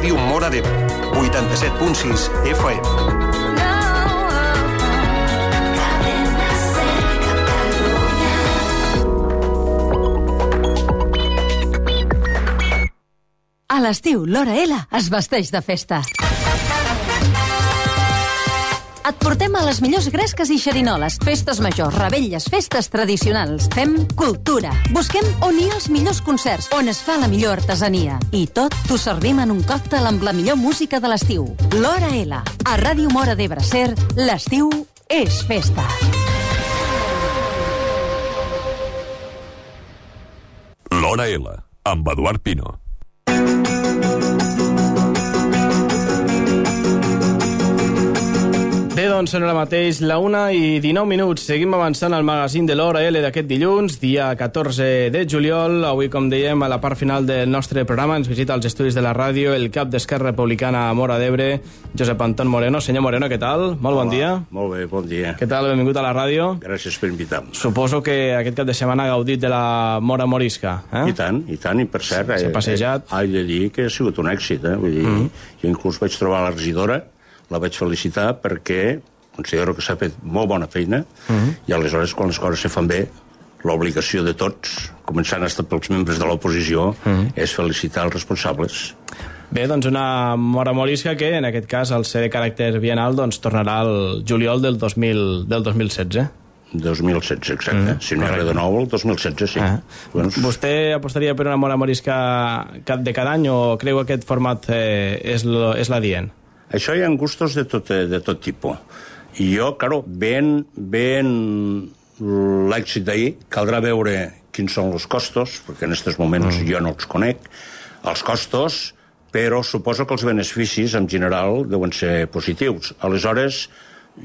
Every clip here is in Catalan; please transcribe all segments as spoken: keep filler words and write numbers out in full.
Ràdio Móra d'Ebre, vuitanta-set punt sis F M. A l'estiu, l'Hora L es vesteix de festa. Et portem a les millors gresques i xerinoles, festes majors, revetlles, festes tradicionals. Fem cultura. Busquem on hi ha els millors concerts, on es fa la millor artesania. I tot t'ho servim en un còctel amb la millor música de l'estiu. L'Hora L. A Ràdio Móra d'Ebre Ser, l'estiu és festa. L'Hora L, amb Eduard Pino. Bé, doncs són ara mateix la una i dinou minuts. Seguim avançant al magazín de l'Hora L d'aquest dilluns, dia catorze de juliol. Avui, com dèiem, a la part final del nostre programa ens visita als estudis de la ràdio el cap d'Esquerra Republicana a Móra d'Ebre, Josep Anton Moreno. Senyor Moreno, què tal? Molt bon dia. Molt bé, bon dia. Què tal? Benvingut a la ràdio. Gràcies per invitar-me. Suposo que aquest cap de setmana ha gaudit de la Mora Morisca, eh? I tant, i tant, i per cert... S'ha passejat. He de dir que ha sigut un èxit, eh? Vull dir, mm. jo inclús vaig trobar la regidora, la vaig felicitar perquè considero que s'ha fet molt bona feina mm. i aleshores, quan les coses se fan bé, l'obligació de tots, començant fins pels membres de l'oposició, mm. és felicitar els responsables. Bé, doncs una Mora Morisca que, en aquest cas, al ser de caràcter bienal, doncs tornarà al juliol del dos mil, del dos mil setze. dos mil setze, exacte. Mm, si no era de nou, el dos mil setze, sí. Ah. Bueno. Vostè apostaria per una Mora Morisca de cada any o creu que aquest format eh, és, lo, és l'adient? Això hi ha gustos de tot, de tot tipus. I jo, claro, ben, ben l'èxit d'ahir, caldrà veure quins són els costos, perquè en aquests moments mm. jo no els conec, els costos, però suposo que els beneficis, en general, deuen ser positius. Aleshores,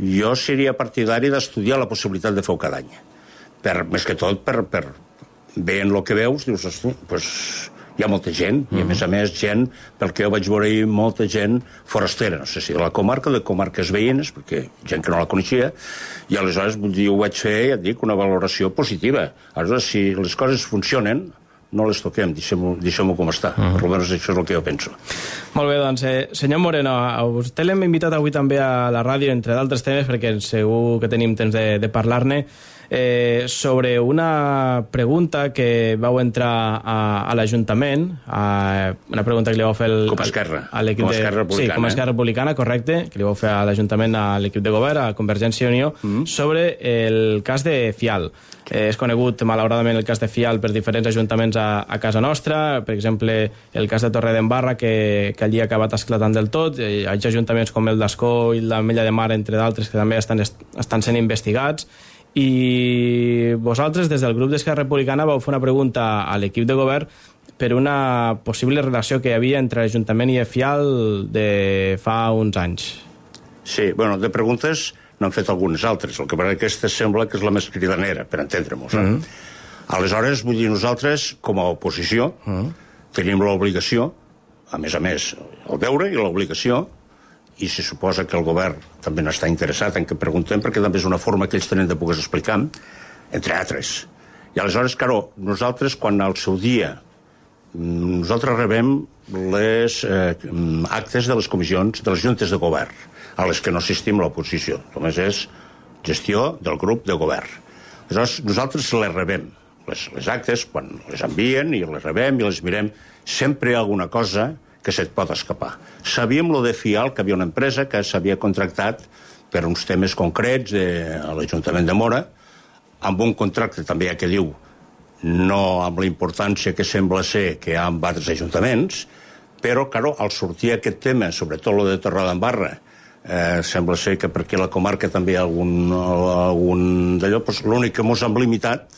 jo seria partidari d'estudiar la possibilitat de fer-ho cada any. Per, més que tot, per, per veient el que veus, dius, hosti, pues, hi ha molta gent, mm-hmm. i a més a més gent, pel que jo vaig veure ahir, molta gent forastera, no sé si de la comarca, de comarques veïnes, perquè gent que no la coneixia, i aleshores ho vaig fer, ja et dic, una valoració positiva. Aleshores, si les coses funcionen, no les toquem, deixem-ho deixem com està. Uh-huh. Per almenys això és el que jo penso. Molt bé, doncs, eh, senyor Moreno, a vostè l'hem invitat avui també a la ràdio, entre d'altres temes, perquè segur que tenim temps de, de parlar-ne, eh, sobre una pregunta que vau entrar a, a l'Ajuntament, a, una pregunta que li vau fer el, com a Esquerra, a l'equip com a Esquerra Republicana. Sí, com a Esquerra Republicana, correcte, que li vau fer a l'Ajuntament, a l'equip de govern, a Convergència i Unió, uh-huh. sobre el cas de Fial. Eh, és conegut, malauradament, el cas de Fial per diferents ajuntaments a, a casa nostra, per exemple, el cas de Torredembarra, que, que allí ha acabat esclatant del tot. Hi ha ajuntaments com el d'Ascó i l'Ametlla de Mar, entre d'altres, que també estan, estan sent investigats. I vosaltres, des del grup d'Esquerra Republicana, vau fer una pregunta a l'equip de govern per una possible relació que hi havia entre l'Ajuntament i Fial de fa uns anys. Sí, bueno, de preguntes n'han fet algunes altres, el que per aquesta sembla que és la més cridanera, per entendre-nos. Eh? Mm-hmm. Aleshores, vull dir, nosaltres, com a oposició, mm-hmm. tenim l'obligació, a més a més, el deure i l'obligació, i se suposa que el govern també n'està interessat en què preguntem, perquè també és una forma que ells tenen de poder explicar, entre altres. I aleshores, claro, nosaltres, quan al seu dia, nosaltres rebem les eh, actes de les comissions de les juntes de govern, a les que no assistim l'oposició. Només és gestió del grup de govern. Aleshores, nosaltres les rebem. Les, les actes, quan les envien i les rebem i les mirem, sempre hi ha alguna cosa que se't pot escapar. Sabíem lo de Fial, que havia una empresa que s'havia contractat per uns temes concrets de, a l'Ajuntament de Móra, amb un contracte també que diu no amb la importància que sembla ser que hi ha amb altres ajuntaments, però, claro, al sortir aquest tema, sobretot lo de Torredembarra, eh, sembla ser que per aquí a la comarca també hi ha algun, algun d'allò, doncs l'únic que mos hem limitat,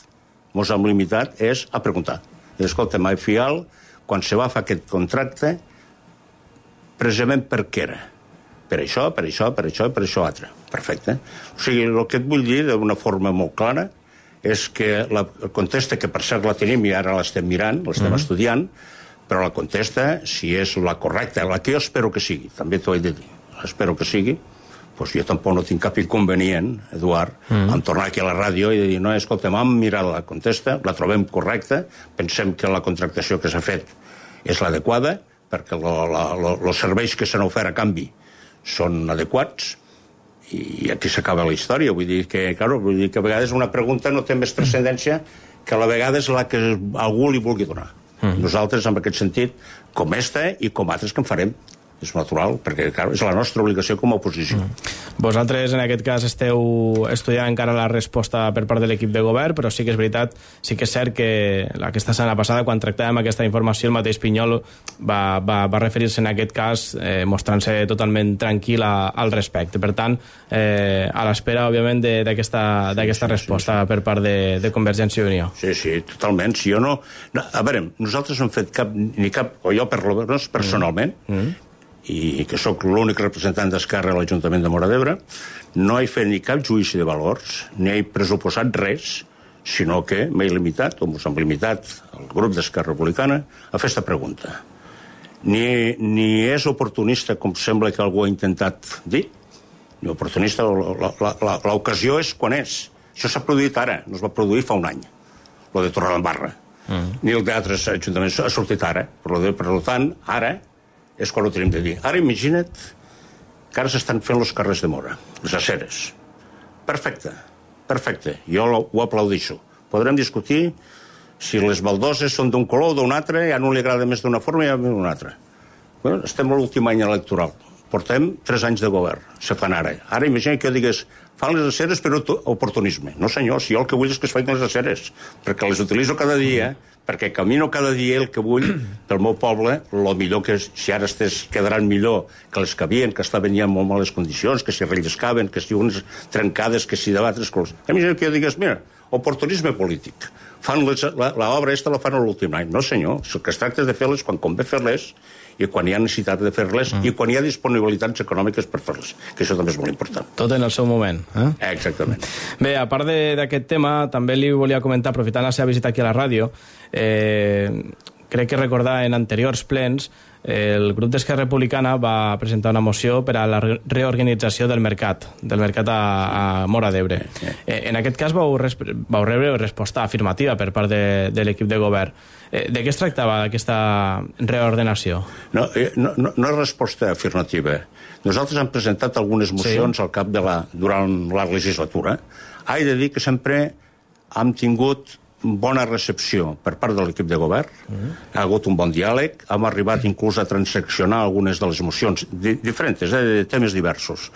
mos hem limitat és a preguntar. I escolta, mai Fial, quan se va fer aquest contracte, precisament per què era? Per això, per això, per això i per això altre. Perfecte. O sigui, el que et vull dir d'una forma molt clara és que la contesta, que per cert la tenim i ara l'estem mirant, l'estem mm-hmm. estudiant, però la contesta, si és la correcta, la que jo espero que sigui, també t'ho he de dir, espero que sigui, doncs jo tampoc no tinc cap inconvenient, Eduard, mm. en tornar aquí a la ràdio i dir, no, escolta, hem mirat la contesta, la trobem correcta, pensem que la contractació que s'ha fet és l'adequada, perquè els serveis que s'han ofert a canvi són adequats, i aquí s'acaba la història. Vull dir que, claro, vull dir que a vegades una pregunta no té més transcendència que a la vegada és la que algú li vulgui donar. Mm. Nosaltres, en aquest sentit, com esta i com altres que en farem, és natural, perquè clar, és la nostra obligació com a oposició. Mm. Vosaltres, en aquest cas, esteu estudiant encara la resposta per part de l'equip de govern, però sí que és veritat, sí que és cert que aquesta setmana passada, quan tractàvem aquesta informació, el mateix Pinyol va, va, va referir-se en aquest cas eh, mostrant-se totalment tranquil a, al respecte. Per tant, eh, a l'espera, òbviament, d'aquesta sí, sí, resposta sí, sí. per part de, de Convergència i Unió. Sí, sí, totalment. Si jo no... no a veure, nosaltres no hem fet cap, ni cap, o jo per lo menos personalment, mm. Mm. i que sóc l'únic representant d'Esquerra a l'Ajuntament de Móra d'Ebre, no he fet ni cap judici de valors, ni he pressuposat res, sinó que m'he limitat, o ens hem limitat, el grup d'Esquerra Republicana, a fer aquesta pregunta. Ni, ni és oportunista, com sembla que algú ha intentat dir, ni oportunista, l'ocasió és quan és. Això s'ha produït ara, no es va produir fa un any, lo de Torredembarra. Mm. Ni el d'altres ajuntaments ha sortit ara. Per, per tant, ara és quan ho tenim de dir. Ara imagina't que ara s'estan fent els carrers de Móra, les aceres. Perfecte, perfecte. Jo ho aplaudixo. Podrem discutir si les baldoses són d'un color o d'un altre, i a un li agrada més d'una forma i a un altra. Bueno, estem a l'últim any electoral. Portem tres anys de govern. Se fan ara. Ara imagina que jo digués fan les aceres per oportunisme. No senyor, si jo el que vull és que es facin les aceres, perquè les utilitzo cada dia, perquè camino cada dia el que vull pel meu poble, el millor que si ara estes quedaran millor que les que havien, que estaven ja en molt males condicions, que si relliscaven, que si unes trencades, que si d'altres coses. Imagina que jo digués, mira, oportunisme polític. Fan l'obra aquesta la fan a l'últim any. No senyor, el que es tracta és de fer-les quan convé fer-les, i quan hi ha necessitat de fer-les, mm. i quan hi ha disponibilitats econòmiques per fer-les, que això també és molt important. Tot en el seu moment. Eh? Exactament. Bé, a part d'aquest tema, també li volia comentar, aprofitant la seva visita aquí a la ràdio, eh, crec que recordar en anteriors plens, eh, el grup d'Esquerra Republicana va presentar una moció per a la reorganització del mercat, del mercat a, a Móra d'Ebre. Eh, en aquest cas vau, vau rebre resposta afirmativa per part de, de l'equip de govern. Eh, de què es tractava aquesta reordenació? No, eh, no, no, no és resposta afirmativa. Nosaltres hem presentat algunes mocions sí. al cap de la, durant la legislatura. He de dir que sempre hem tingut bona recepció per part de l'equip de govern, mm. ha hagut un bon diàleg, hem arribat inclús a transaccionar algunes de les mocions di diferents, eh, de temes diversos.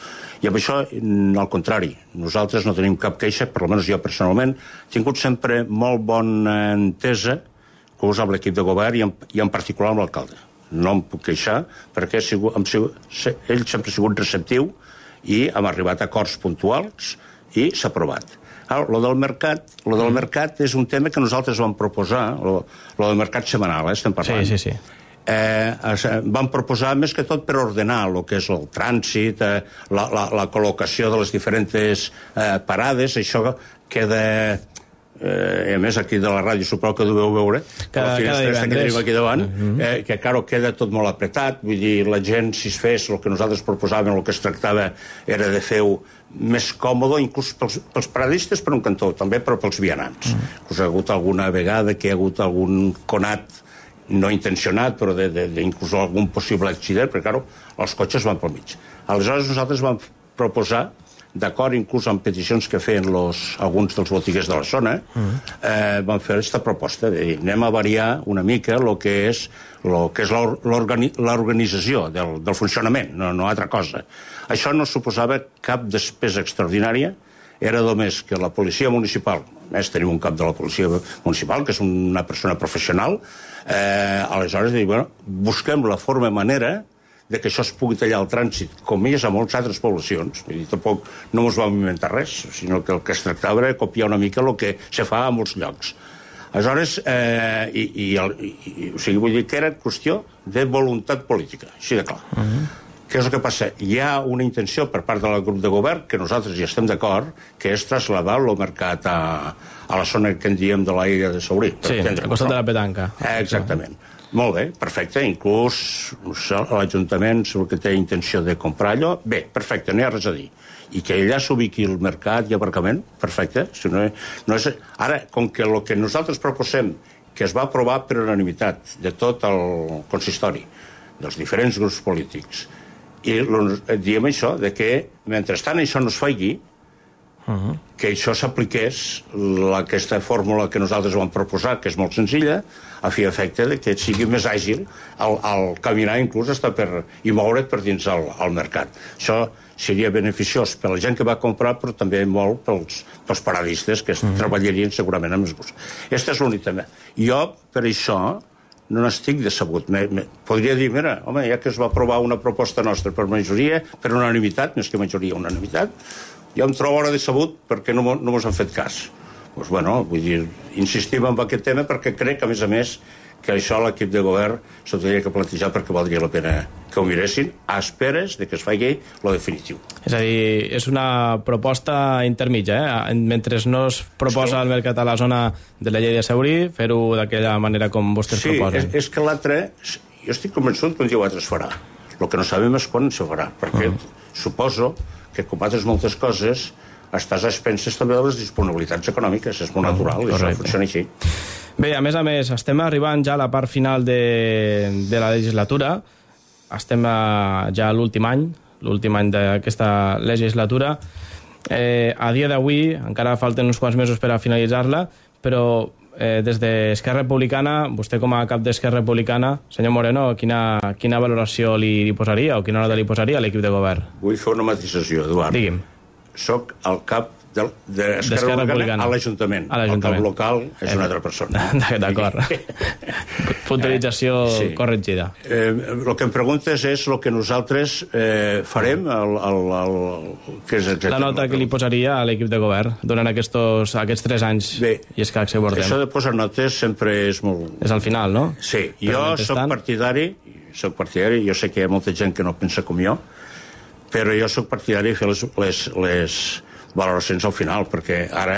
I amb això, al contrari, nosaltres no tenim cap queixa, per almenys jo personalment, he tingut sempre molt bona entesa inclús amb l'equip de govern i en, i en particular amb l'alcalde. No em puc queixar perquè he sigut, hem sigut, ell sempre ha sigut receptiu i hem arribat a acords puntuals i s'ha aprovat. Ara, lo del mercat, lo del mercat és un tema que nosaltres vam proposar, lo, lo del mercat setmanal, eh, estem parlant. Sí, sí, sí. Eh, vam proposar més que tot per ordenar el que és el trànsit, eh, la, la, la col·locació de les diferents eh, parades, això queda... Eh, a més aquí de la ràdio suposo que deveu veure cada, la finestra que tenim aquí davant, uh -huh. eh, que claro, queda tot molt apretat, vull dir, la gent si es fes el que nosaltres proposàvem, el que es tractava era de fer-ho més còmode, inclús pels, pels paradistes per un cantó, també però pels vianants. Uh -huh. Us ha hagut alguna vegada que hi ha hagut algun conat no intencionat, però de, de, de inclús algun possible accident, perquè claro, els cotxes van pel mig. Aleshores nosaltres vam proposar, d'acord inclús amb peticions que feien los, alguns dels botiguers de la zona, uh-huh. eh, van fer aquesta proposta de dir, anem a variar una mica el que és lo que és l'organització del, del funcionament, no, no altra cosa. Això no suposava cap despesa extraordinària, era només que la policia municipal, més tenim un cap de la policia municipal, que és una persona professional, eh, aleshores dir, bueno, busquem la forma i manera de que això es pugui tallar el trànsit, com és a moltes altres poblacions. Vull dir, tampoc no ens vam inventar res, sinó que el que es tractava era copiar una mica el que se fa a molts llocs. Aleshores, eh, i, i, el, i, o sigui, vull dir que era qüestió de voluntat política, així de clar. Uh -huh. Què és el que passa? Hi ha una intenció per part del grup de govern, que nosaltres hi estem d'acord, que és traslladar el mercat a, a la zona que en diem de l'Aire de Saurí. Sí, al costat de la petanca. Eh, exactament. Molt bé, perfecte, inclús l'Ajuntament segur que té intenció de comprar allò. Bé, perfecte, no hi ha res a dir. I que allà s'ubiqui el mercat i aparcament, perfecte. Si no, no és... Ara, com que el que nosaltres proposem, que es va aprovar per unanimitat de tot el consistori, dels diferents grups polítics, i diem això, de que mentrestant això no es faci, uh-huh. que això s'apliqués aquesta fórmula que nosaltres vam proposar, que és molt senzilla, a fi efecte de que sigui més àgil al, al caminar, inclús estar per, i moure't per dins el, el mercat. Això seria beneficiós per la gent que va comprar, però també molt pels, pels paradistes que mm. treballarien segurament amb els gust. Aquest és l'únic tema. Jo, per això, no n'estic decebut. Me, me, podria dir, mira, home, ja que es va aprovar una proposta nostra per majoria, per unanimitat, més que majoria, unanimitat, jo em trobo ara decebut perquè no, no mos han fet cas. Doncs, bueno, vull dir, insistim en aquest tema perquè crec que, a més a més, que això l'equip de govern s'ho tenia que plantejar perquè valdria la pena que ho miressin a esperes de que es faci lo definitiu. És a dir, és una proposta intermitja, eh? Mentre no es proposa al mercat a la zona de la llei de Saurí, fer-ho d'aquella manera com vostès sí, proposen. Sí, és, és que l'altre, jo estic convençut que un dia o altre es farà. El que no sabem és quan se farà, perquè uh-huh. suposo que, com altres moltes coses, estàs a expenses també de les disponibilitats econòmiques, és molt natural, uh-huh. i això funciona així. Bé, a més a més, estem arribant ja a la part final de, de la legislatura, estem a, ja a l'últim any, l'últim any d'aquesta legislatura. Eh, a dia d'avui, encara falten uns quants mesos per a finalitzar-la, però eh, des d'Esquerra Republicana, vostè com a cap d'Esquerra Republicana, senyor Moreno, quina, quina valoració li, li posaria o quina nota li posaria a l'equip de govern? Vull fer una matisació, Eduard. Digui'm. Soc el cap d'Esquerra Republicana a l'Ajuntament. El cap local és una altra persona. D'acord. Puntualització sí. corregida. Eh, el que em preguntes és el que nosaltres eh, farem, el, el, el, que és la nota que li posaria a l'equip de govern durant aquests, aquests tres anys. Bé, i és que abordem. Això de posar notes sempre és molt... És al final, no? Sí, però jo soc partidari, soc partidari, jo sé que hi ha molta gent que no pensa com jo, però jo soc partidari de fer les, les, les valoracions al final, perquè ara,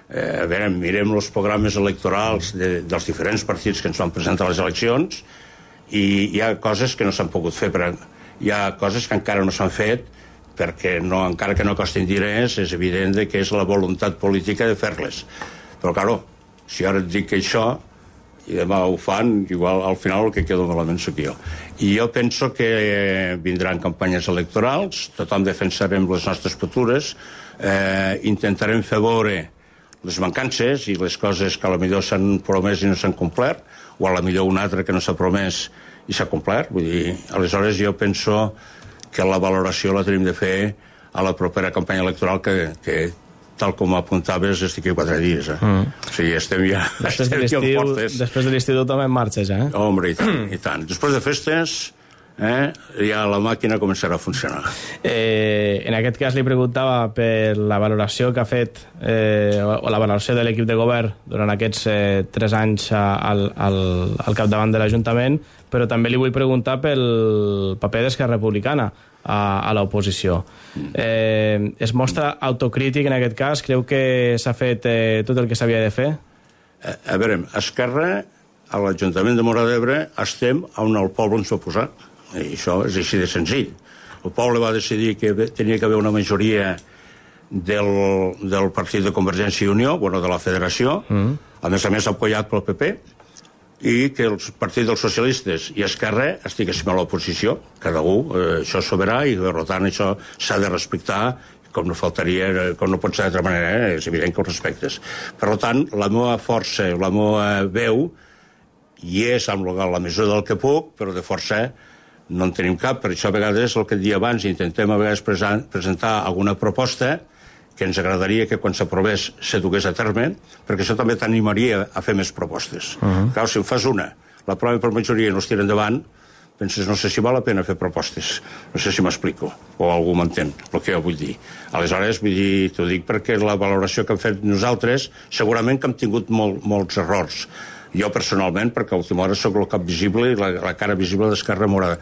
eh, a veure, mirem els programes electorals de, dels diferents partits que ens van presentar a les eleccions i hi ha coses que no s'han pogut fer, però hi ha coses que encara no s'han fet perquè no, encara que no costin diners, és evident que és la voluntat política de fer-les. Però, claro, si ara et dic que això i demà ho fan, igual al final el que queda malament sóc jo. I jo penso que vindran campanyes electorals, tothom defensarem les nostres futures, eh, intentarem fer veure les mancances i les coses que a la millor s'han promès i no s'han complert, o a la millor una altra que no s'ha promès i s'ha complert. Vull dir, aleshores jo penso que la valoració la tenim de fer a la propera campanya electoral que, que tal com apuntaves, estic aquí quatre dies. Eh? Mm. O sigui, estem ja... Després de l'estiu, després de l'estiu tothom en marxa ja, eh? Hombre, i tant, i tant. Després de festes, eh, ja la màquina començarà a funcionar. Eh, en aquest cas li preguntava per la valoració que ha fet, eh, o la valoració de l'equip de govern durant aquests eh, tres anys al, al, al capdavant de l'Ajuntament, però també li vull preguntar pel paper d'Esquerra Republicana a, a l'oposició. Eh, es mostra autocrític en aquest cas? Creu que s'ha fet eh, tot el que s'havia de fer? A, a veure, Esquerra, a l'Ajuntament de Móra d'Ebre, estem on el poble ens va posar. I això és així de senzill. El poble va decidir que tenia que haver una majoria del, del partit de Convergència i Unió, bueno, de la Federació, mm. a més a més apoyat pel P P, i que el partit dels socialistes i Esquerra estiguéssim a l'oposició, cada un, eh, això és soberà, i per tant això s'ha de respectar, com no faltaria, com no pot ser d'altra manera, eh? És evident que ho respectes. Per tant, la meva força, la meva veu, hi és amb la mesura del que puc, però de força no en tenim cap. Per això a vegades, el que et dia abans, intentem a vegades presentar alguna proposta que ens agradaria que quan s'aprovés se dugués a terme, perquè això també t'animaria a fer més propostes. Uh-huh. Clar, si en fas una, l'aproven per majoria i no es tira endavant, penses, no sé si val la pena fer propostes. No sé si m'explico, o algú m'entén el que jo vull dir. Aleshores, vull dir, t'ho dic perquè la valoració que hem fet nosaltres, segurament que hem tingut molt, molts errors. Jo personalment, perquè a última hora soc el cap visible i la, la cara visible d'Esquerra Morada.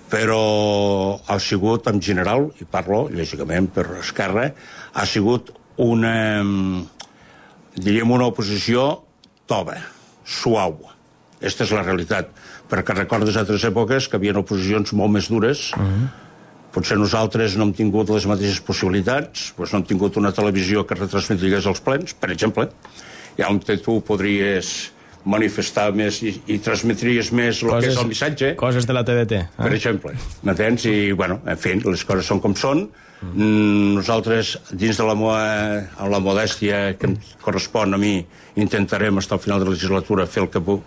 Però ha sigut, en general, i parlo, lògicament, per Esquerra, ha sigut una, diríem, una oposició tova, suau. Aquesta és la realitat. Perquè recordes altres èpoques que hi havia oposicions molt més dures. Uh-huh. Potser nosaltres no hem tingut les mateixes possibilitats, doncs no hem tingut una televisió que retransmetigués els plens, per exemple. I on tu podries manifestar més i, i transmetries més el que és el missatge. Coses de la T D T. Eh? Per exemple, m'entens? I, bueno, en fi, les coses són com són. Mm. Nosaltres, dins de la, moa, amb la modèstia que em correspon a mi, intentarem, fins al final de la legislatura, fer el que puc.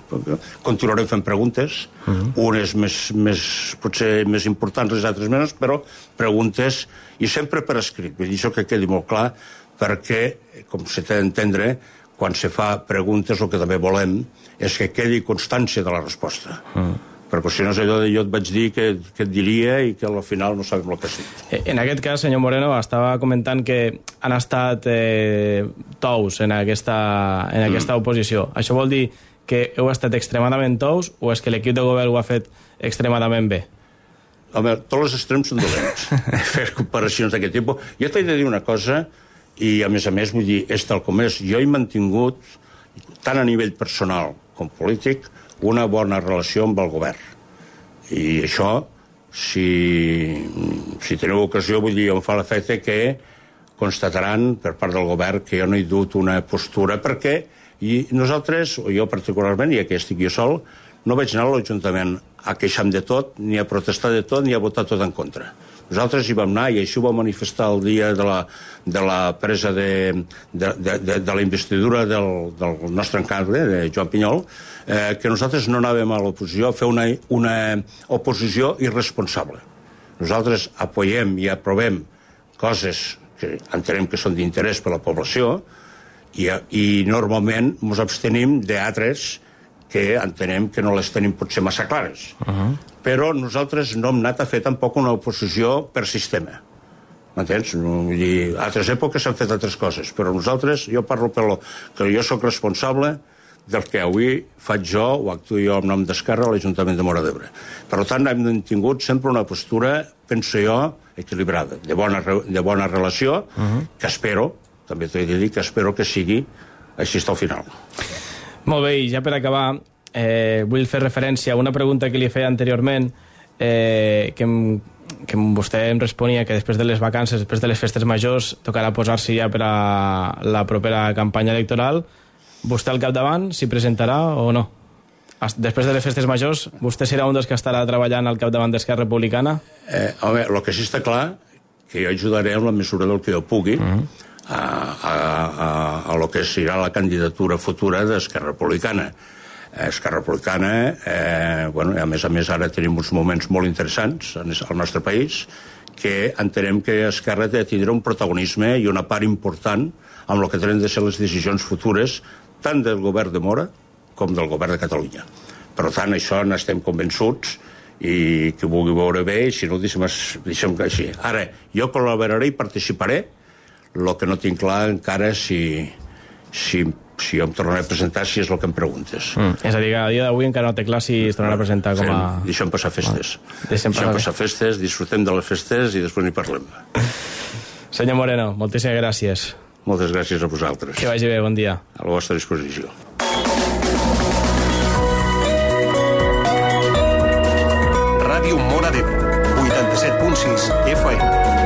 Continuarem fent preguntes, mm. unes més, més, potser més importants, les altres menys, però preguntes, i sempre per escrit. Vull dir, això que quedi molt clar, perquè, com se té d'entendre, quan se fa preguntes, el que també volem és que quedi constància de la resposta. Mm. Perquè si no és allò de jo et vaig dir que, que et diria i que al final no sabem el que sí. En aquest cas, senyor Moreno, estava comentant que han estat eh, tous en aquesta, en aquesta mm. oposició. Això vol dir que heu estat extremadament tous o és que l'equip de govern ho ha fet extremadament bé? Home, tots els extrems són dolents. Fer comparacions d'aquest tipus. Jo t'he de dir una cosa, i a més a més, vull dir, és tal com és. Jo he mantingut, tant a nivell personal com polític, una bona relació amb el govern. I això, si, si teniu ocasió, vull dir, em fa l'efecte que constataran per part del govern que jo no he dut una postura, perquè i nosaltres, o jo particularment, i aquí estic jo sol, no vaig anar a l'Ajuntament a queixar de tot, ni a protestar de tot, ni a votar tot en contra. Nosaltres hi vam anar, i així ho vam manifestar el dia de la, de la presa de, de, de, de, de la investidura del, del nostre alcalde, de Joan Pinyol, eh, que nosaltres no anàvem a l'oposició a fer una, una oposició irresponsable. Nosaltres apoyem i aprovem coses que entenem que són d'interès per a la població i, i normalment ens abstenim d'altres que entenem que no les tenim potser massa clares. Uh-huh. Però nosaltres no hem anat a fer tampoc una oposició per sistema. M'entens? Vull dir, a altres èpoques s'han fet altres coses, però nosaltres, jo parlo per lo que jo sóc responsable del que avui faig jo o actuo jo en nom d'Esquerra a l'Ajuntament de Móra d'Ebre. Per tant, hem tingut sempre una postura, penso jo, equilibrada, de bona, de bona relació, uh-huh. que espero, també t'he de dir que espero que sigui així al final. Molt bé, i ja per acabar, eh, vull fer referència a una pregunta que li feia anteriorment, eh, que, em, que vostè em responia que després de les vacances, després de les festes majors, tocarà posar-se ja per a la propera campanya electoral. Vostè al capdavant s'hi presentarà o no? Després de les festes majors, vostè serà un dels que estarà treballant al capdavant d'Esquerra Republicana? Eh, home, el que sí està clar, que jo ajudaré en la mesura del que jo pugui, uh-huh. a, a, a, a lo que serà la candidatura futura d'Esquerra Republicana. Esquerra Republicana, eh, bueno, a més a més ara tenim uns moments molt interessants al nostre país, que entenem que Esquerra té de tindre un protagonisme i una part important amb el que tenen de ser les decisions futures tant del govern de Móra com del govern de Catalunya. Per tant, això n'estem convençuts i que ho vulgui veure bé, i si no, deixem, deixem que així. Ara, jo col·laboraré i participaré. El que no tinc clar encara si, si, si jo em tornaré a presentar, si és el que em preguntes. Mm. És a dir, a dia d'avui encara no té clar si es tornarà a presentar com a... Fem, deixem passar festes. Ah, deixem, deixem passar festes, disfrutem de les festes i després n'hi parlem. Senyor Moreno, moltíssimes gràcies. Moltes gràcies a vosaltres. Que vagi bé, bon dia. A la vostra disposició. Ràdio Móra d'Ebre, vuitanta-set punt sis F M.